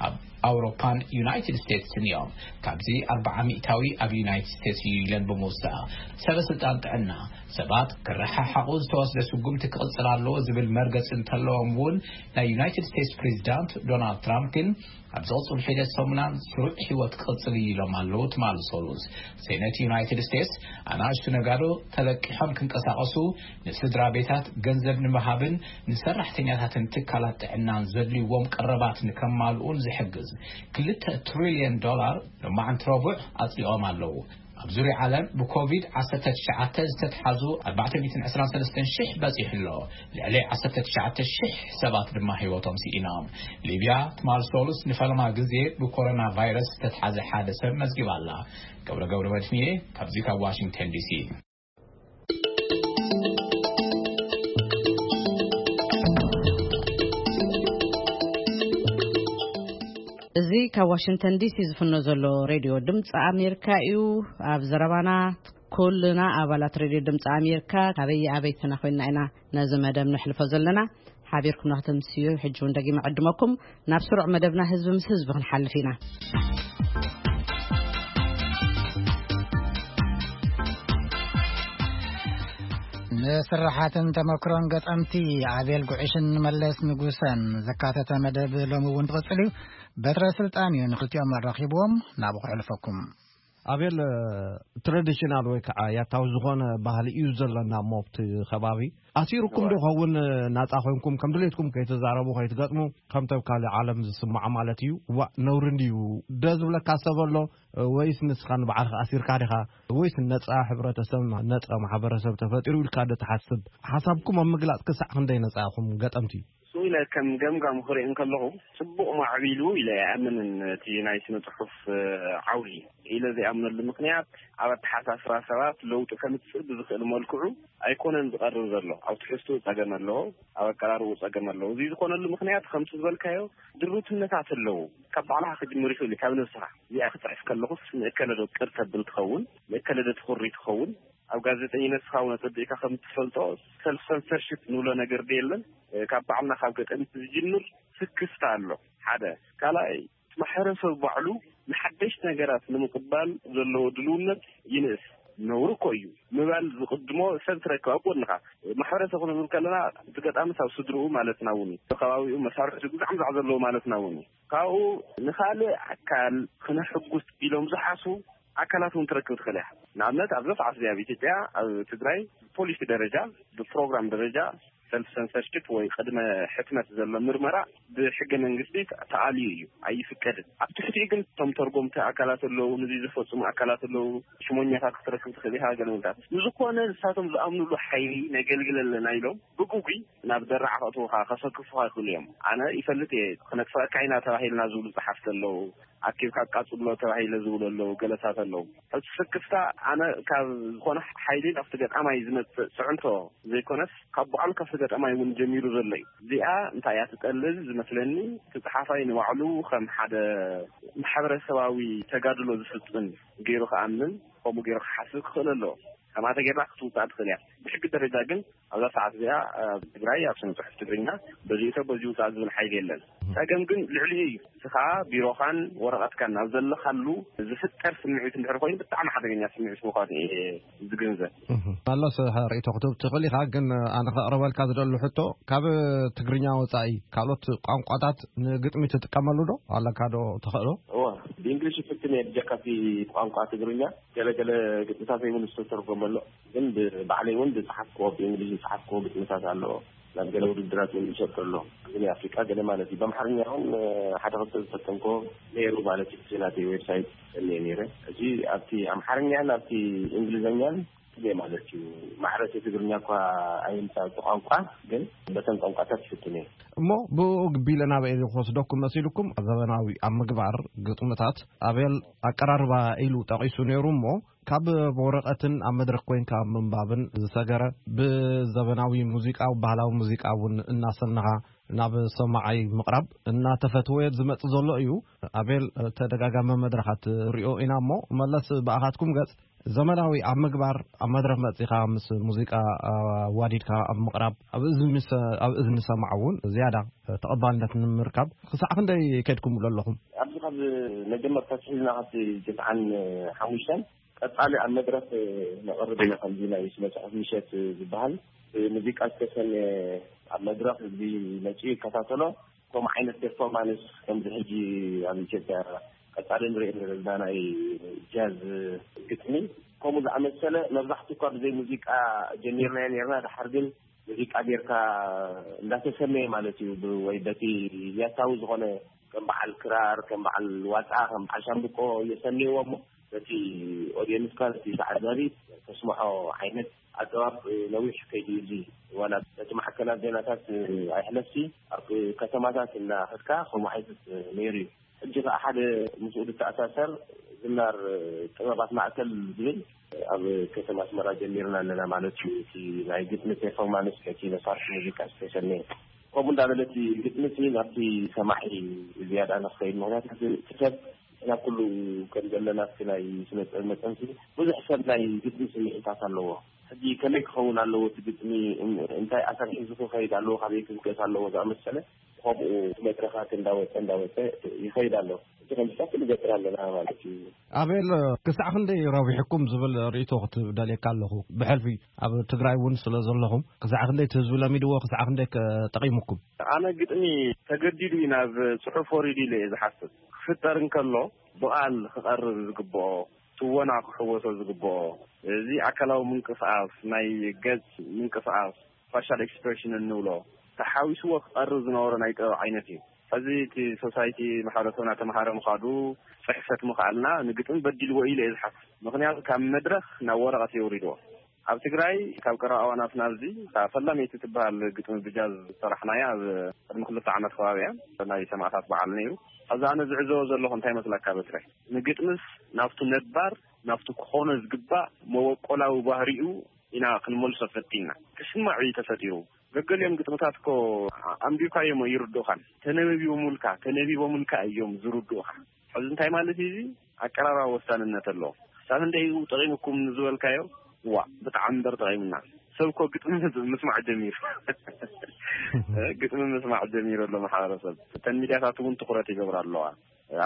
ኣብ ኣውሮፓን ዩናይትድ ስቴትስን እዮም። ካብ እዚ ኣርባዓ ሚእታዊ ኣብ ዩናይትድ ስቴትስ እዩ ኢለን ብምውሳእ፣ ሰበ ስልጣን ጥዕና ሰባት ክረሓሓቑ ዝተወስደ ስጉምቲ ክቕጽል ኣለዎ ዝብል መርገጺ እንተለዎም እውን፣ ናይ ዩናይትድ ስቴትስ ፕሬዚዳንት ዶናልድ ትራምፕ ግን ኣብ ዝቕጽሉ ሒደት ሰሙናት ስሩዕ ህይወት ክቕጽል እዩ ኢሎም ኣለዉ ትማል ሶሉስ። ሴነት ዩናይትድ ስቴትስ ኣናእሽቱ ነጋዶ ተለቂሖም ክንቀሳቐሱ፣ ንስድራ ቤታት ገንዘብ ንምሃብን ንሰራሕተኛታትን ትካላት ጥዕናን ዘድልይዎም ቀረባት ንከማልኡን ዝሕግዝ ክልተ ትሪልዮን ዶላር ሎማዓንቲ ረቡዕ ኣጽዲቖም ኣለዉ። ኣብ ዙርያ ዓለም ብኮቪድ ዓሰርተ ትሽዓተ ዝተትሓዙ ኣርባዕተ ሚእትን ዕስራን ሰለስተን ሽሕ በጺሑ ኣሎ። ልዕሊ ዓሰርተ ትሽዓተ ሽሕ ሰባት ድማ ህይወቶም ስኢኖም። ሊብያ ትማል ሶሉስ ንፈለማ ግዜ ብኮሮና ቫይረስ ዝተትሓዘ ሓደ ሰብ መዝጊባ ኣላ። ገብረ ገብረ መድህንየ ካብዚ ካብ ዋሽንግተን ዲሲ። እዚ ካብ ዋሽንግተን ዲሲ ዝፍኖ ዘሎ ሬድዮ ድምፂ ኣሜሪካ እዩ። ኣብ ዘረባና ኩልና ኣባላት ሬድዮ ድምፂ ኣሜሪካ ካበይ ኣበይትና ኮይንና ኢና ነዚ መደብ ነሕልፎ ዘለና። ሓቢርኩም ንክትምስዩ ሕጂ እውን ደጊመ ዕድመኩም። ናብ ስሩዕ መደብና ህዝቢ ምስ ህዝቢ ክንሓልፍ ኢና። ንስራሓትን ተመክሮን ገጠምቲ ኣቤል ጉዕሽን መለስ ንጉሰን ዘካተተ መደብ ሎሚ እውን ትቕጽል እዩ። በትረ ስልጣን እዩ ንክልቲኦም ኣራኺብዎም። ናብኡ ክሕልፈኩም። ኣቤል፣ ትራዲሽናል ወይ ከዓ ያታዊ ዝኾነ ባህሊ እዩ ዘለና እሞ ኣብቲ ከባቢ። ኣሲሩኩም ዶ ኸውን ናጻ ኮይንኩም ከም ድሌትኩም ከይትዛረቡ ከይትገጥሙ፣ ከምቲ ኣብ ካልእ ዓለም ዝስማዖ ማለት እዩ? ዋእ፣ ነውሪ እንድዩ። ዶ ዝብለካ ሰብ ኣሎ? ወይስ ንስኻ ንባዕልኻ ኣሲርካ ዲኻ? ወይስ ነጻ ሕብረተሰብ፣ ነጻ ማሕበረሰብ ተፈጢሩ ኢልካ ዶ ትሓስብ? ሓሳብኩም ኣብ ምግላጽ ክሳዕ ክንደይ ነጻ ኢኹም ገጠምቲ? ንሱ ኢለ ከም ገምጋም ክርኢ እንከለኹ፣ ጽቡቕ ማዕቢሉ ኢለ ኣይኣምንን። እቲ ናይ ስነ ጽሑፍ፣ እ፣ ዓውዲ ኢለ ዘይኣምነሉ ምኽንያት፣ ኣብ ኣተሓሳስባ ሰባት ለውጢ ከምጽእ ብዝኽእል መልክዑ ኣይኮነን ዝቐርብ ዘሎ። ኣብ ትሕዝትኡ ጸገም ኣለዎ፣ ኣብ ኣቀራርብኡ ጸገም ኣለዎ። እዚ ዝኾነሉ ምኽንያት ከምቲ ዝበልካዮ ድሩትነታት ኣለዉ። ካብ ባዕልኻ ክጅምር ይኽእል እዩ፣ ካብ ነብስኻ። እዚኣ ክጽሕፍ ከለኹስ ንእከለ ዶ ቅር ተብል ትኸውን፣ ንእከለ ዶ ትኹሪ ትኸውን? ኣብ ጋዜጠኝነት ንስኻ እውን ኣጸቢቕካ ከም እትፈልጦ፣ ሰልፍ ሰንሰርሺፕ ንብሎ ነገር ዶ የለን? ካብ ባዕልና ካብ ገጠምቲ ዝጅምር ስክፍታ ኣሎ። ሓደ። ካልኣይ፣ እቲ ማሕበረሰብ ባዕሉ ንሓደሽቲ ነገራት ንምቕባል ዘለዎ ድልውነት ይንእስ። ነውሪ እኮ እዩ ምባል ዝቕድሞ ሰብ ትረክብ ኣብ ጎንኻ። ማሕበረሰብ ክንብል ከለና፣ እቲ ገጣምስ ኣብ ስድርኡ ማለትና እውን እዩ። ከባቢኡ መሳርሕቱ ግዛዕ ምዛዕ ዘለዎ ማለትና እውን እዩ። ካብኡ ንኻልእ ኣካል ክነሕጉስ ኢሎም ዝሓስቡ ኣካላት እውን ትረክብ ትኽእል ኢኻ። ንኣብነት፣ ኣብዛ ሰዓት እዚኣ ኣብ ኢትዮጵያ፣ ኣብ ትግራይ፣ ብፖሊሲ ደረጃ፣ ብፕሮግራም ደረጃ፣ ሰልፍ ሰንሰርሽፕ ወይ ቅድመ ሕትመት ዘሎ ምርመራ ብሕገ መንግስቲ ተኣልዩ እዩ፣ ኣይፍቀድን። ኣብ ትሕቲኡ ግን እቶም ተርጎምቲ ኣካላት ኣለዉ፣ ነዚ ዝፈጽሙ ኣካላት ኣለዉ፣ ሽሞኛታት ክትረክብ ትኽእል ኢኻ፣ ገለ ምልታት። ንዝኾነ ንሳቶም ዝኣምኑሉ ሓይሊ ነገልግል ኣለና ኢሎም ብግጉይ ናብ ደራዕ ከእትዉኻ፣ ከሰክፉኻ ይኽእሉ እዮም። ኣነ ይፈልጥ እየ፣ ክነጥፍኣካ ኢና ተባሂልና ዝብሉ ጸሓፍቲ ኣለዉ፣ ኣኪብካ ኣቃጽሎ ተባሂለ ዝብሉ ኣለዉ፣ ገለታት ኣለዉ። ሕጂ ስክፍታ ኣነ ካብ ዝኾነ ሓይሊ ናብቲ ገጣማይ ዝመጽእ ጽዕንቶ ዘይኮነስ፣ ካብ ባዕሉ ካብቲ ገጣማይ እውን ጀሚሩ ዘሎ እዩ። እዚኣ እንታይ እያ ትጠልብ ዝመስለኒ፣ እቲ ጸሓፋይ ንባዕሉ ከም ሓደ ማሕበረሰባዊ ተጋድሎ ዝፍጽም ገይሩ ክኣምን፣ ከምኡ ገይሩ ክሓስብ ክኽእል ኣለዎ። ከምኣ ተጌርና ክትውጻእ ትኽእል እያ። ብሕጊ ደረጃ ግን ኣብዛ ሰዓት እዚኣ ኣብ ትግራይ ኣብ ስነ ጽሑፍ ትግርኛ በዚኡ ሰብ በዚኡ ውጻእ ዝብል ሓይሊ የለን። ጸገም ግን ልዕሊኡ እዩ። ንስኻ ቢሮኻን ወረቐትካን ኣብ ዘለኻሉ ዝፍጠር ስምዒት እንድሕር ኮይኑ ብጣዕሚ ሓደገኛ ስምዒት ምዃኑ እየ ዝግንዘብ። እህ፣ መለስ፣ ርኢቶ ክትህብ ትኽእል ኢኻ፣ ግን ኣነ ከቕርበልካ ዝደሊ ሕቶ፣ ካብ ትግርኛ ወጻኢ ካልኦት ቋንቋታት ንግጥሚ ትጥቀመሉ ዶ ኣለካ ዶ ተኽእሎ? እወ፣ ብእንግሊሽ ይፍትን እየ፣ ብጀካ እቲ ቋንቋ ትግርኛ። ገለ ገለ ግጥምታተይ እውን ዝተተርጎመ ኣሎ። ግን ብ-፣ ባዕለይ እውን ዝጸሓፍክዎ፣ ብእንግሊሽ ዝጸሓፍክዎ ግጥምታት ኣሎ። ናብ ገለ ውድድራት እውን ይሰጥር ኣሎ። ግን ኣፍሪቃ ገለ ማለት እዩ። ብኣምሓርኛ እውን፣ እ፣ ሓደ ክልተ ዝፈተንክዎ ነይሩ ማለት እዩ። እቲ ናተይ ዌብሳይት እኒኤ ነይረ። እዚ ኣብቲ ኣምሓርኛን ኣብቲ እንግሊዝኛን ግዜ ማለት እዩ። ማዕረ እቲ ትግርኛ እኳ ኣይምጻእ እቲ ቋንቋ፣ ግን በተን ቋንቋታት ይፍትን እየ። እሞ ብኡ ግቢለ ናበይ ክወስደኩም መሲልኩም? ዘበናዊ ኣብ ምግባር ግጥምታት ኣቤል ኣቀራርባ ኢሉ ጠቒሱ ነይሩ እሞ፣ ካብ ወረቐትን ኣብ መድረኽ ኮይንካ ኣብ ምንባብን ዝሰገረ፣ ብዘበናዊ ሙዚቃ፣ ባህላዊ ሙዚቃ እውን እናሰነኻ ናብ ሰማዓይ ምቕራብ እናተፈትወ ዝመጽእ ዘሎ እዩ። ኣቤል፣ ተደጋጋሚ መድረኻት ሪኦ ኢና እሞ፣ መለስ ብኣኻትኩም ገጽ ዘመናዊ ኣብ ምግባር ኣብ መድረኽ መጺኻ ምስ ሙዚቃ ኣዋዲድካ ኣብ ምቕራብ ኣብ እዝኒ ሰ-፣ ኣብ እዝኒ ሰማዕ እውን ዝያዳ ተቐባልነት ንምርካብ ክሳዕ ክንደይ ከድኩም ኣለኹም? ኣብዚ ካብ መጀመርታ ኣትሒዝና ካብቲ ትስዓን ሓሙሽተን ቀጻሊ ኣብ መድረኽ ነቕርብ ኢና። ከምዚ ናይ ስነ ጽሑፍ ምሸት ዝበሃል ብሙዚቃ ዝተሰነ ኣብ መድረኽ ህዝቢ መጺኡ ይከታተሎ። ከምኡ ዓይነት ፐርፎርማንስ ከምዚ ሕጂ ኣብ ኢትዮጵያ ቀጻሊ ንርኢ ዘለና ናይ ጃዝ ግጥሚ ከምኡ ዝኣመሰለ መብዛሕትኡ እኳ ብዘይ ሙዚቃ ጀሚርናዮ ነርና፣ ድሓር ግን ሙዚቃ ጌርካ እንዳተሰነየ ማለት እዩ። ብ-፣ ወይ በቲ ያታዊ ዝኾነ ከም በዓል ክራር፣ ከም በዓል ዋጣ፣ ከም በዓል ሻምብቆ የሰንይዎ እሞ በቲ ኦድየንስካ፣ በቲ ተዓዛቢ ተስምዖ ዓይነት ኣገባብ ነዊሕ ከይዱ እዩ። እዚ ዋላ በቲ ማዕከናት ዜናታት ኣይሕለፍሲ ኣብ ከተማታት እናኸድካ ከምኡ ዓይነት ነይሩ እዩ። ሕጂ ከኣ ሓደ ምስኡ ዝተኣሳሰር ዝናር ጥበባት ማእከል ዝብል ኣብ ከተማ ኣስመራ ጀሚርና ኣለና ማለት እዩ። እቲ ናይ ግጥሚ ፐርፎርማንስ፣ ነቲ መሳርሒ ሙዚቃ ዝተሰነየ ከምኡ እንዳበለ እቲ ግጥሚ እቲ ናብቲ ሰማዒ ዝያዳ ንክኸይድ፣ ምክንያቱ እቲ ሰብ ናብ ኩሉ ከም ዘለና እቲ ናይ ስነ ጥበብ መጠንሲ ብዙሕ ሰብ ናይ ግጥሚ ስምዒታት ኣለዎ። ሕጂ ከመይ ክኸውን ኣለዎ እቲ ግጥሚ፣ እን-፣ እንታይ ኣሰር ሒዙ ክኸይድ ኣለዎ፣ ካበይ ክብገስ ኣለዎ ዝኣመሰለ ከምኡ መድረኻት እንዳወፀ እንዳወፀ ይኸይድ ኣሎ። እቲ ከምዚታት ንገብር ኣለና ማለት እዩ። ኣቤል፣ ክሳዕ ክንደይ ረቢሕኩም ዝብል ርእይቶ ክትደልየካ ኣለኹ። ብሕልፊ ኣብ ትግራይ እውን ስለ ዘለኹም ክሳዕ ክንደይ እቲ ህዝቢ ለሚድዎ፣ ክሳዕ ክንደይ ከ ጠቒሙኩም? ኣነ ግጥሚ ተገዲዱ እዩ ናብ ጽሑፍ ወሪዱ ኢለ እየ ዝሓስብ። ክፍጠር እንከሎ ብቓል ክቐርብ ዝግብኦ፣ ትወና ክሕወሶ ዝግብኦ፣ እዚ ኣካላዊ ምንቅስቓስ፣ ናይ ገጽ ምንቅስቓስ፣ ፋሻል ኤክስፕሬሽን እንብሎ፣ ተሓዊስዎ ክቐርብ ዝነበሮ ናይ ጥበብ ዓይነት እዩ። ሕዚ እቲ ሶሳይቲ ማሕበረሰብና ተምሃረ ምኻዱ፣ ጽሕፈት ምኽኣልና ንግጥሚ በዲልዎ ኢለ እየ ዝሓስብ። ምኽንያቱ ካብ መድረኽ ናብ ወረቐት የውሪድዎ። ኣብ ትግራይ ካብ ቀረባ እዋናት ናብዚ፣ እታ ፈላመይቲ ትበሃል ግጥሚ ብጃዝ ዝሰራሕናያ ኣብ ቅድሚ ክልተ ዓመት ከባቢ እያ፣ ናይ ሰማእታት በዓል ነይሩ። ሕዚ ኣነ ዝዕዘቦ ዘለኹ እንታይ መስለካ በትረ? ንግጥምስ ናብቱ ነባር፣ ናብቱ ክኾኖ ዝግባእ መበቆላዊ ባህሪኡ ኢና ክንመልሶ ፈቲንና። ክስማዕ እዩ ተፈጢሩ። ገገሊኦም ግጥምታት እኮ ኣንቢብካዮም ይርድኡኻን። ተነበቢቦምልካ፣ ተነቢቦምልካ እዮም ዝርድኡኻ። ሕዚ እንታይ ማለት እዩ? እዚ ኣቀራርባ ወሳንነት ኣለዎ። ክሳብ ክንደይ እዩ ጠቒሙኩም ዝበልካዮ? ዋ፣ ብጣዕሚ እምበር ጠቒሙና። ሰብ እኮ ግጥሚ ምስ-፣ ምስማዕ ጀሚሩ። ግጥሚ ምስማዕ ጀሚሩ ኣሎ ማሕበረሰብ። እተን ሚድያታት እውን ትኹረት ይገብራ ኣለዋ።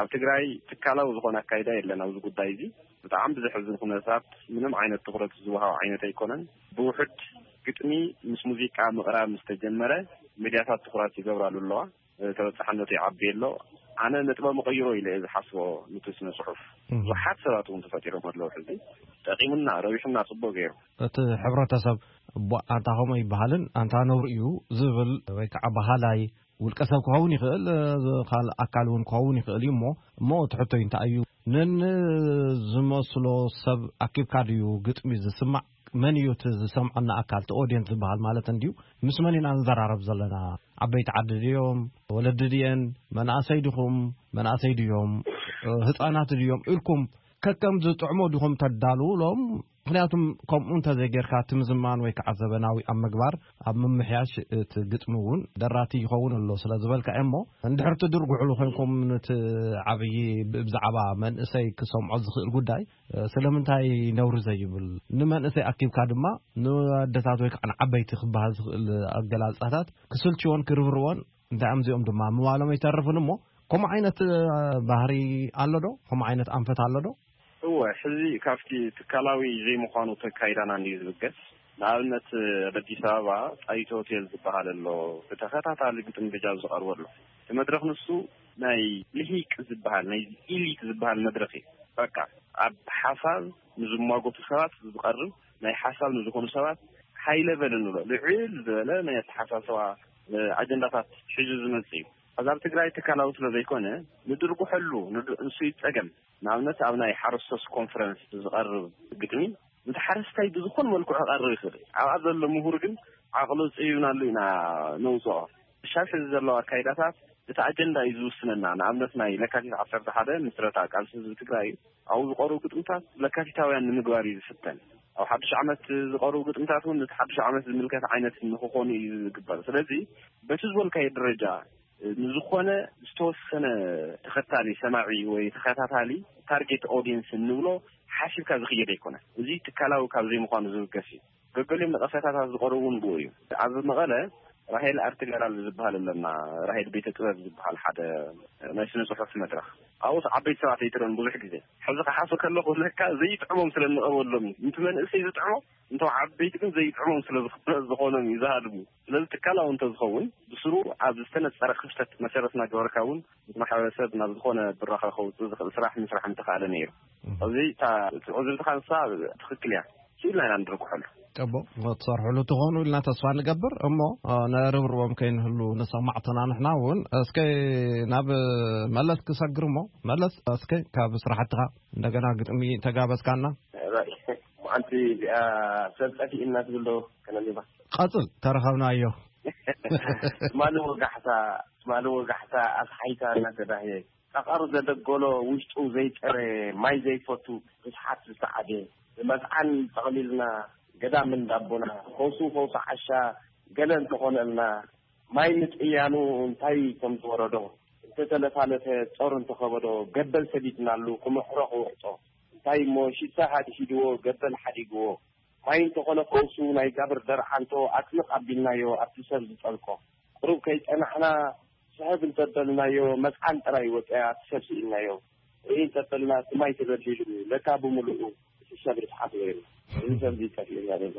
ኣብ ትግራይ ትካላዊ ዝኾነ ኣካይዳ የለን ኣብዚ ጉዳይ እዚ። ብጣዕሚ ብዘሕዝን ኩነታት ምንም ዓይነት ትኹረት ዝወሃብ ዓይነት ኣይኮነን። ብውሑድ ግጥሚ ምስ ሙዚቃ ምቕራብ ምስ ተጀመረ ሚድያታት ትኹረት ይገብራሉ ኣለዋ። ተበጻሕነቱ ይዓቢ ኣሎ። ኣነ ነጥበ መቐይሮ ኢለ እየ ዝሓስቦ ንቲ ስነ ጽሑፍ። እም። ብዙሓት ሰባት እውን ተፈጢሮም ኣለዉ። ሕዚ ጠቒሙና፣ ረቢሑና፣ ጽቡቕ ገይሩ። እቲ ሕብረተሰብ፣ "እቦ፣ ኣንታ ከምኡ ይበሃልን ኣንታ ነውሪ እዩ" ዝብል ወይ ከዓ በሃላይ ውልቀ ሰብ ክኸውን ይኽእል፣ እ፣ ካልእ ኣካል እውን ክኸውን ይኽእል እዩ። እሞ፣ እሞ እቲ ሕቶይ እንታይ እዩ? ነንዝመስሎ ሰብ ኣኪብካ ድዩ ግጥሚ ዝስማዕ? መን እዩ እቲ ዝሰምዐና ኣካል፣ እቲ ኦድየንስ ዝበሃል ማለት እንድዩ? ምስ መን ኢና ንዘራረብ ዘለና? ዓበይቲ ዓዲ ድዮም? ወለዲ ድየን? መናእሰይ ዲኹም? መናእሰይ ድዮም? እ፣ ህፃናት ድዮም? ኢልኩም ከከም ዝጥዕሞ ዲኹም ተዳልውሎም? ምክንያቱም ከምኡ እንተዘይጌርካ፣ እቲ ምዝማን ወይ ከዓ ዘበናዊ ኣብ ምግባር፣ ኣብ ምምሕያሽ እቲ ግጥሚ እውን ደራቲ ይኸውን ኣሎ ስለ ዝበልካ እየ። እሞ እንድሕር ትድርጉሕሉ ኮይንኩም፣ ነቲ ዓብዪ ብ-፣ ብዛዕባ መንእሰይ ክሰምዖ ዝኽእል ጉዳይ፣ እ፣ ስለምንታይ ነውሪ ዘይብል? ንመንእሰይ ኣኪብካ ድማ ንኣደታት ወይ ከዓ ንዓበይቲ ክበሃል ዝኽእል ኣገላልጻታት ክስልችዎን ክርብርዎን፣ እንታይ እዮም እዚኦም ድማ ምባሎም ኣይተርፍን። እሞ ከምኡ ዓይነት፣ እ፣ ባህሪ ኣሎ ዶ? ከምኡ ዓይነት ኣንፈት ኣሎ ዶ? እወ፣ ሕዚ ካብቲ ትካላዊ ዘይምዃኑ ተካይዳና እንድዩ ዝብገስ። ንኣብነት፣ ኣብ ኣዲስ ኣበባ ጣይቱ ሆቴል ዝበሃል ኣሎ፣ ብተኸታታሊ ግጥሚ ብጃዝ ዝቐርበሉ። እቲ መድረኽ ንሱ ናይ ልሂቅ ዝበሃል፣ ናይ ኢሊት ዝበሃል መድረኽ እዩ። በቃ፣ ኣብ ሓሳብ ንዝሟገቱ ሰባት ዝቐርብ፣ ናይ ሓሳብ ንዝኾኑ ሰባት ሃይ ለቨል እንብሎ፣ ልዕል ዝበለ ናይ ኣተሓሳስባ፣ እ፣ ኣጀንዳታት ሒዙ ዝመጽእ እዩ። ሕዚ ኣብ ትግራይ ትካላዊ ስለ ዘይኮነ፣ ንድርጉሐሉ፣ ንድ-፣ ንሱ እዩ ጸገም። ንኣብነት፣ ኣብ ናይ ሓረስቶት ኮንፈረንስ ዝቐርብ ግጥሚ፣ ነቲ ሓረስታይ ብዝኾነ መልክዑ ክቐርብ ይኽእል እዩ። ኣብኣ ዘሎ ምሁር ግን ዓቕሉ ጽዩናሉ ኢና ነውጽኦ። ሻብ ሕዚ ዘለዋ ኣካይዳታት እቲ ኣጀንዳ እዩ ዝውስነና። ንኣብነት፣ ናይ ለካቲት ዓሰርተ ሓደ ምስረታ ቃልሲ ህዝቢ ትግራይ እዩ። ኣብኡ ዝቐርቡ ግጥምታት ለካቲታውያን ንምግባር እዩ ዝፍተን። ኣብ ሓድሽ ዓመት ዝቐርቡ ግጥምታት እውን ነቲ ሓድሽ ዓመት ዝምልከት ዓይነት ንክኾኑ እዩ ዝግበር። ስለዚ በቲ ዝበልካዮ ደረጃ ንዝኾነ ዝተወሰነ ተኸታሊ ሰማዒ ወይ ተኸታታሊ ታርጌት ኦዲየንስ እንብሎ ሓሲብካ ዝኽየድ ኣይኮነን። እዚ ትካላዊ ካብ ዘይምዃኑ ዝብገስ እዩ። ገገሊኦም ነቐፌታታት ዝቐርቡ እውን ብኡ እዩ። ኣብ መቐለ ራሄል ኣርት ጋላሪ ዝበሃል ኣለና። ራሄል ቤተ ጥበብ ዝበሃል ሓደ ናይ ስነ ጽሑፍ መድረኽ፣ ኣብኡስ ዓበይቲ ሰባት ኣይትረን ብዙሕ ግዜ። ሕዚ ክሓሶ ከለኹ ለካ ዘይጥዕሞም ስለ እንቐበሎም እዩ። ምቲ መንእሰይ ዝጥዕሞ እንቶም ዓበይቲ ግን ዘይጥዕሞም ስለ ዝኾ- ዝኾኖም እዩ ዝሃድሙ። ስለዚ ትካላዊ እንተዝኸውን ብስሩ ኣብ ዝተነጸረ ክፍተት መሰረት እናገበርካ እውን ምስ ማሕበረሰብ ናብ ዝኾነ ብራኸ ከውፅእ ዝኽእል ስራሕ ምስራሕ ምተኻእለ ነይሩ። እዚ እታ እቲ ዕዝብትኻ ንሳ ትኽክል እያ። ስኢልና ኢና ንድርግሐሉ። ጽቡቕ ክትሰርሕሉ ትኾኑ ኢልና ተስፋ ንገብር። እሞ ነርብርቦም ከይንህሉ ንሰማዕትና ንሕና እውን እስከ ናብ መለስ ክሰግር እሞ መለስ እስከ ካብ ስራሕትኻ እንደገና ግጥሚ ተጋበዝካና። ሓንቲ እዚኣ ሰብ ጠፊእና ትብል ዶ ከነንባ ቀጽል ተረኸብናዮ። ትማሊ ወጋሕታ ትማሊ ወጋሕታ ኣስሓይታ እናተዳህየ ቃቐር ዘደጎሎ ውሽጡ ዘይጠረ ማይ ዘይፈቱ ርስሓት ዝተዓደ ብመዝዓን ጠቕሊልና ገዳም እንዳቦና ፈውሱ ፈውሱ ዓሻ ገለ እንተኾነልና ማይ ምጥያኑ እንታይ ከም ዝወረዶ እንተተለፋለፈ ጾር እንተኸበዶ ገበል ሰዲድናሉ ክምሕሮ ክውዕጦ እንታይ እሞ ሽሳ ሃድሂድዎ ገበል ሓዲግዎ ማይ እንተኾነ ፈውሱ ናይ ጋብር ደርዓንቶ ኣጥልቕ ኣቢልናዮ ኣብቲ ሰብ ዝጠልቆ ቁሩብ ከይጸናሕና ስሕብ እንተበልናዮ መዝዓን ጥራይ ወጸያ ኣብቲ ሰብ ስኢልናዮ ርኢ እንተበልና እቲ ማይ ተበዲሉ ለካ ብምሉኡ እቲ ሰብ ርስሓት ነይሩ እዚ ሰብ እዚ ጠፊኡና ዘሎ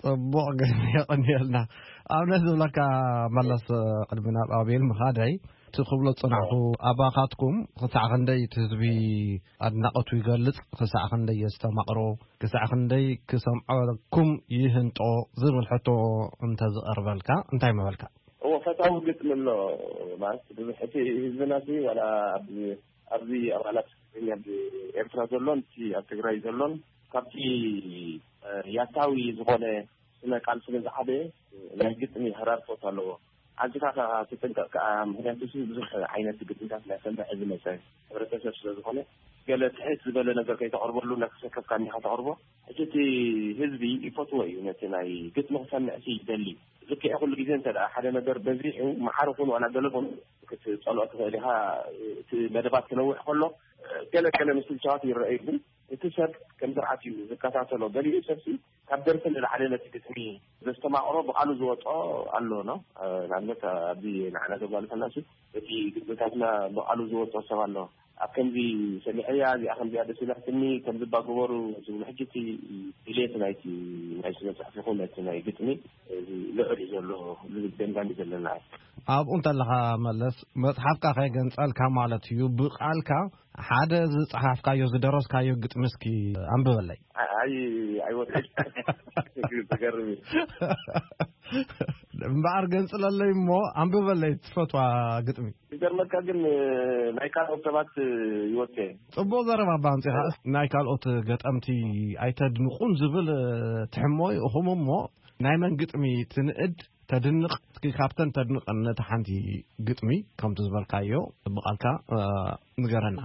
ጽቡቕ ግን የቐንየልና ኣብነት ዝብለካ መለስ ቅድሚ ናብ ኣቤል ምኻደይ እቲ ክብሎ ዝጽናሕኩ ኣባኻትኩም ክሳዕ ክንደይ እቲ ህዝቢ ኣድናቐቱ ይገልጽ ክሳዕ ክንደይ የስተማቕሮ ክሳዕ ክንደይ ክሰምዐኩም ይህንጦ ዝብል ሕቶ እንተዝቐርበልካ እንታይ ምበልካ እዎ ፈታዊ ግጥሚ ኣሎ ማለት ብዙሕ እቲ ህዝብና እዚ ዋላ ኣብዚ ኣብዚ ኣባላት ትግርኛ ኣብ ኤርትራ ዘሎን እቲ ኣብ ትግራይ ዘሎን ካብቲ ያታዊ ዝኾነ ስነ ቃል ስለ ዝዓበየ ናይ ግጥሚ ህራርፎት ኣለዎ። ኣዝኻ ከዓ ትጥንቀቕ ከዓ ምክንያቱ እዚ ብዙሕ ዓይነት ግጥምታት ናይ ሰምዕ ዝመፀ ሕብረተሰብ ስለ ዝኾነ ገለ ትሕት ዝበለ ነገር ከይተቕርበሉ እናተሰከፍካ እኒኻ ተቕርቦ። ሕጂ እቲ ህዝቢ ይፈትዎ እዩ ነቲ ናይ ግጥሚ ክሰምዕ ሲ ይደሊ። ዝክዕ ኩሉ ግዜ እንተ ሓደ ነገር በዚሑ መሓሪ ኩን ዋላ ገለ ኩን ክትፀልኦ ትኽእል ኢኻ። እቲ መደባት ክነውሕ ከሎ ገለ ገለ ምስልቻዋት ይረአዩ ግን እቲ ሰብ ከም ስርዓት እዩ ዝከታተሎ። ገሊኡ ሰብሲ ካብ ደርፊ ንላዕሊ ነቲ ግጥሚ ዘስተማቕሮ ብቓሉ ዝወጦ ኣሎ ነው። ንኣብነት ኣብዚ ንዓና ዘጓልፈና ሲ እቲ ግጥምታትና ብቓሉ ዝወጦ ሰብ ኣሎ። ኣብ ከምዚ ሰሚዐያ እዚኣ ከምዚኣ ደስ ኢላትኒ ከምዚ ባግበሩ ዝብሉ ሕጂ እቲ ድሌት ናይቲ ናይ ስነ ፅሑፍ ይኹን እቲ ናይ ግጥሚ እዚ ልዑል እዩ ዘሎ ዝብል ደምዳሚ ዘለና ኣብኡ እንተለኻ መለስ መፅሓፍካ ከይገንፀልካ ማለት እዩ ብቃልካ ሓደ ዝፀሓፍካዮ ዝደረስካዮ ግጥሚ እስኪ ኣንብበለይ። ኣይ ኣይወድቅ ትገርም እዩ። እምበኣር ገንፅለለይ እሞ ኣንብበለይ ትፈትዋ ግጥሚ። ዝገርመካ ግን ናይ ካልኦት ሰባት ይወት ፅቡቅ ዘረባ ባምፂኻ ናይ ካልኦት ገጠምቲ ኣይተድንቁን ዝብል ትሕሞ ይእኹም እሞ ናይ መን ግጥሚ ትንእድ ተድንቕ እስኪ ካብተን ተድንቐን ነቲ ሓንቲ ግጥሚ ከምቲ ዝበልካዮ ብቓልካ ንገረና።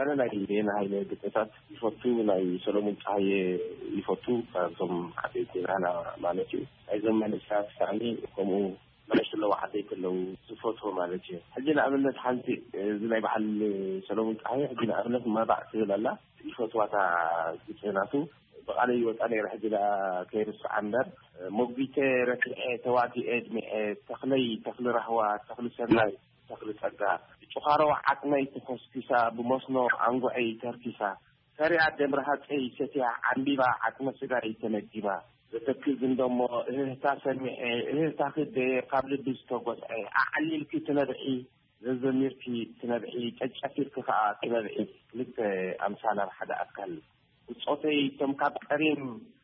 ኣነ ናይ ዜና ሃይለ ግጥምታት ይፈቱ፣ ናይ ሰሎሙን ፀሃየ ይፈቱ። ካብቶም ዓበይቲ ናና ማለት እዩ። ናይዞም መንእሰያት ሳእኒ ከምኡ መለሽ ኣለዎ ዓበይቲ ኣለዉ ዝፈትዎ ማለት እዩ። ሕጂ ንኣብነት ሓንቲ እዚ ናይ በዓል ሰሎሙን ፀሃየ ሕጂ ንኣብነት መባዕ ትብል ኣላ ይፈትዋታ ግጥምናቱ ብቓለይ ይወፃ ነይረ ሕጂ ደኣ ከይርስዓ እምበር ሞጒተ ረቲዐ ተዋጊኤ ድሚዐ ተኽለይ ተኽሊ ራህዋ ተኽሊ ሰናይ ተኽሊ ጸጋ ብጭዃሮ ዓጽመይ ተኾስኲሳ ብመስኖ ኣንጉዐይ ተርኪሳ ፈሪያ ደም ረሃጸይ ሰትያ ዓምቢባ ዓጽመ ስጋይ ተመጊባ ዘተክዝ እንደሞ እህህታ ሰሚዐ እህህታኺ ደየ ካብ ልቢ ዝተጎስዐ ኣዕሊልኪ ትነብዒ ዘዘሚርኪ ትነብዒ ጨጨፊርኪ ከኣ ትነብዒ ክልተ ኣምሳል ኣብ ሓደ ኣካል ብጾተይ እቶም ካብ ቀሪም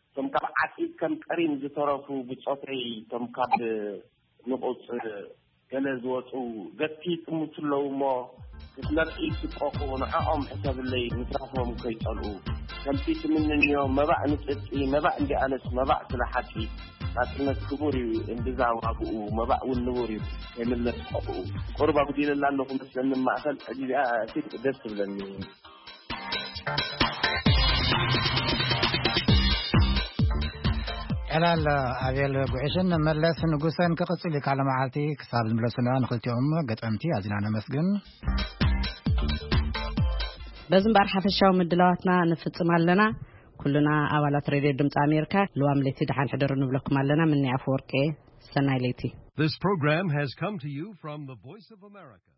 እቶም ካብ ዓጺድ ከም ቀሪም ዝተረፉ ብጾተይ እቶም ካብ ንቑጽ ገለ ዝወጹ ገትኪ ይጥምቱ ኣለዉ እሞ ምስ መብዒ ትቆቑ ንዕኦም ሕሰብለይ፣ ምትራፎም ከይጸልኡ። ከምቲ ትምንንዮ መባእ ንጽድቂ፣ መባእ እንዲኣነስ መባእ ስለ ሓቂ። ናጽነት ክቡር እዩ እምብዛ ዋግኡ፣ መባእ እውን ንቡር እዩ ከይምለስ ቆቕኡ። ቁሩብ ኣጉዲለላ ኣለኹ መስለኒ ማእከል፣ ሕጂ እዚኣ ኪድ ደስ ትብለኒ። ዕላል ኣቤል ጉዕሽን መለስ ንጉሰን ክቕጽል እዩ። ካለ መዓልቲ ክሳብ ዝምለሱና ንኽልቲኦም ገጠምቲ ኣዚና ነመስግን። በዚ እምበኣር ሓፈሻዊ ምድላዋትና ንፍጽም ኣለና። ኩልና ኣባላት ሬድዮ ድምፂ ኣሜሪካ ልዋም ለይቲ ደሓን ሕደሩ ንብለኩም ኣለና። ምኒ ኣፈወርቂ፣ ሰናይ ለይቲ። This program has come to you from the Voice of America.